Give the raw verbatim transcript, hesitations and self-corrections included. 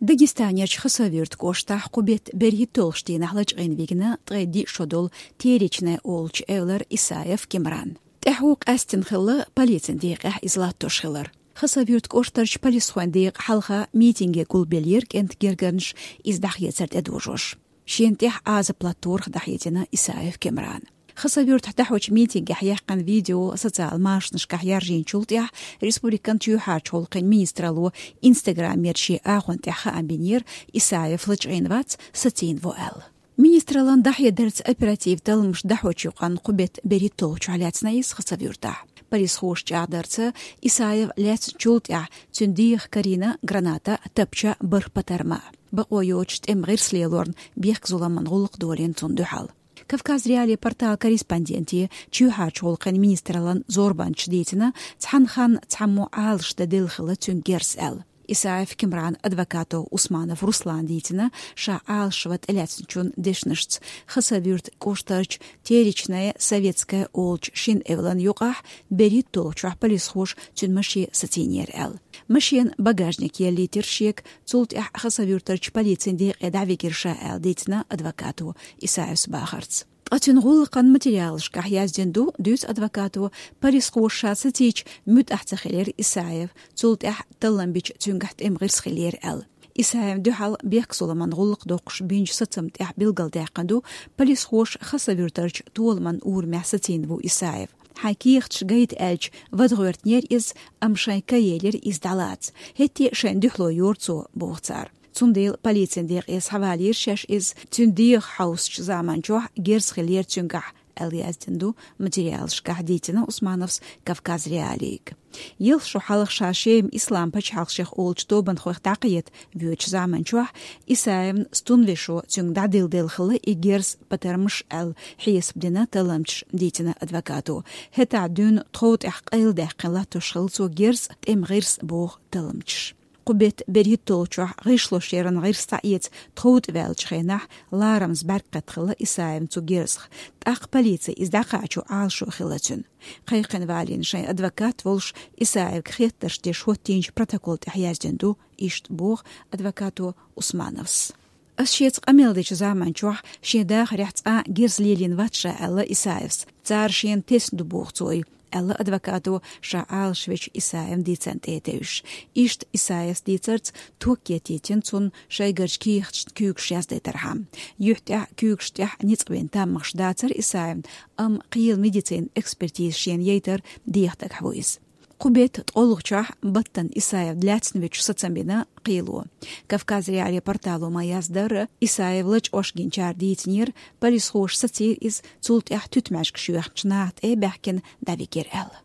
Дагестанерчу Хасавюрт кӀоштахь кху бетта берхӀитталгӀачу дийнахь лачкъийна вигна ткъе диъ шо долу Теречная олучу эвлара Исаев Кимран. ТӀаьхьо къаьстина хилла полицин декъехь иза латтош хилар. Хасавюрт кӀоштарчу полисхойн декъа хьалха митинге гулбеллера кӀентан гергарнаш, иза дӀахецар тӀедожош. Шена тӀехь Ӏазап латторах дӀахьедина Исаев Кимран. Хасавюртахь дӀахьочу митингехь яьккхина видео социал машанашкахь яржийначул тӀаьхьа республикан чоьхьарчу гӀуллакхийн министралло Instagram-ера шен агӀон тӀехь хаам бинера, Исаев лачкъийна вац, сацийна ву аьлла. Министраллан дӀахьедарца, оператив талламаш дӀахьочу юкъанна кху бетта берхӀитталгӀачохь лаьцна иза Хасавюртахь. Полисхоша чӀагӀдарца, Исаев лаьцначул тӀаьхьа цуьнан дегӀах карийна граната, тапча, бархӀ патарма. Бакъо йоцуш тӀеман гӀирс лелорна, бехк-зуламан гӀуллакх долийна цунна дуьхьал. Кавказ.Реалии порталан корреспонденте чоьхьарчу гӀуллакхийн министраллан зорбанчаша дийцина, цхьана ханна цхьаммо Ӏалашдан делла хилла цуьнга герз аьлла. Исаев Кимран адвокато Усманов Руслана дийцина, ша Ӏалашван тӀелаьцначун дешнашца, Хасавюрт кӀоштарчу Теречная, Советская олучу шина эвлан юкъахь берхӀитталгӀачохь полисхоша цуьнан машен сацийнера аьлла. Машенан багажник еллийтира шега, цул тӀаьхьа Хасавюртарчу полицин декъе дӀавигира ша аьлла дийцина адвокато Исаевс бахарца. Ткъа цуьнан гӀуллакхан материалашкахь яздина ду, дуьйцу адвокато, полисхоша ша сацийча муьтӀахь ца хилира Исаев, цул тӀаьхьа таллам бича цуьнгахь тӀеман гӀирс хилира аьлла. Исаевна дуьхьал бехк-зуламан гӀуллакх доккхуш бинчу сацамна тӀехь билгалдаьккхина ду, полисхоша Хасавюртарчу Толаман урамехь сацийна ву Исаев. Хьайн кехаташ гайта аьлча, вада гӀоьртинера иза, амма шайн ка елира иза дӀалаца. ХӀетте а шайна дуьхьало йора цо, боху цара. Цундела полицин декъе схьавалийра шаьш иза, цуьнан дегӀах хьовсучу заманчохь герз хилира цуьнгахь, аьлла яздина ду материалашкахь, дийцина Усмановс Кавказ.Реалиига. Ялх шо хьалха ша Шема Ислам пачхьалкх шех олучу тобанхойх дӀакхета воьдучу заманчохь Исаевн стунвешо цуьнга дӀадилла делла хилла и герз, патармаш аьлла хьесап дина талламчаша, дийцина адвокато. ХӀетахь дуьйна тхов тӀехь къайладаьккхина латтош хилла цо герз, тӀеман гӀирс, боху талламчаша. Кху бетта берхӀитталгӀачохь гӀишлошъяран гӀирс дӀаэца тхов тӀе ваьллачу хенахь ларамаза бӀаьрг кхетта хилла Исаевн цу герзах. ТӀаккха полици иза дӀакхачо Ӏалашо хилла цуьнан. Кхайкхина валийна шайн адвокат волуш, Исаевга хеттарш деш хӀоттийначу протокол тӀехь яздина ду, иштта боху адвокато Усмановс. Ас шеца къамел дечу заманчохь шен дахарехь цкъа а герз лелийна вац ша, аьлла Исаевс. Цара шена тесна ду, боху цо, аьлла адвокато, ша Ӏалашвечу Исаевн дийцарна тӀе а тевжаш. Иштта Исаевс дийцарца ток кхетийтина цунна шайгарчу кехаташна куьйгаш яздайтархьама. Юьхь тӀехь, куьйгаш тӀехь ницкъабина таммагӀаш дацара Исаевн, амма кхелан медицинан экспертиза шена яйтар дехьа дагахь ву иза. Кху бетта ткъолгӀачохь баттана Исаев лаьцна вуьтуш сацам бина кхело. Кавказ.Реалии портало ма-яздара, Исаев лачкъош гинчара дийцинера, полисхоша сацийра иза, цул тӀаьхьа туьтмаьжгаш йоьхначу наха тӀе а баьхкина дӀавигира аьлла.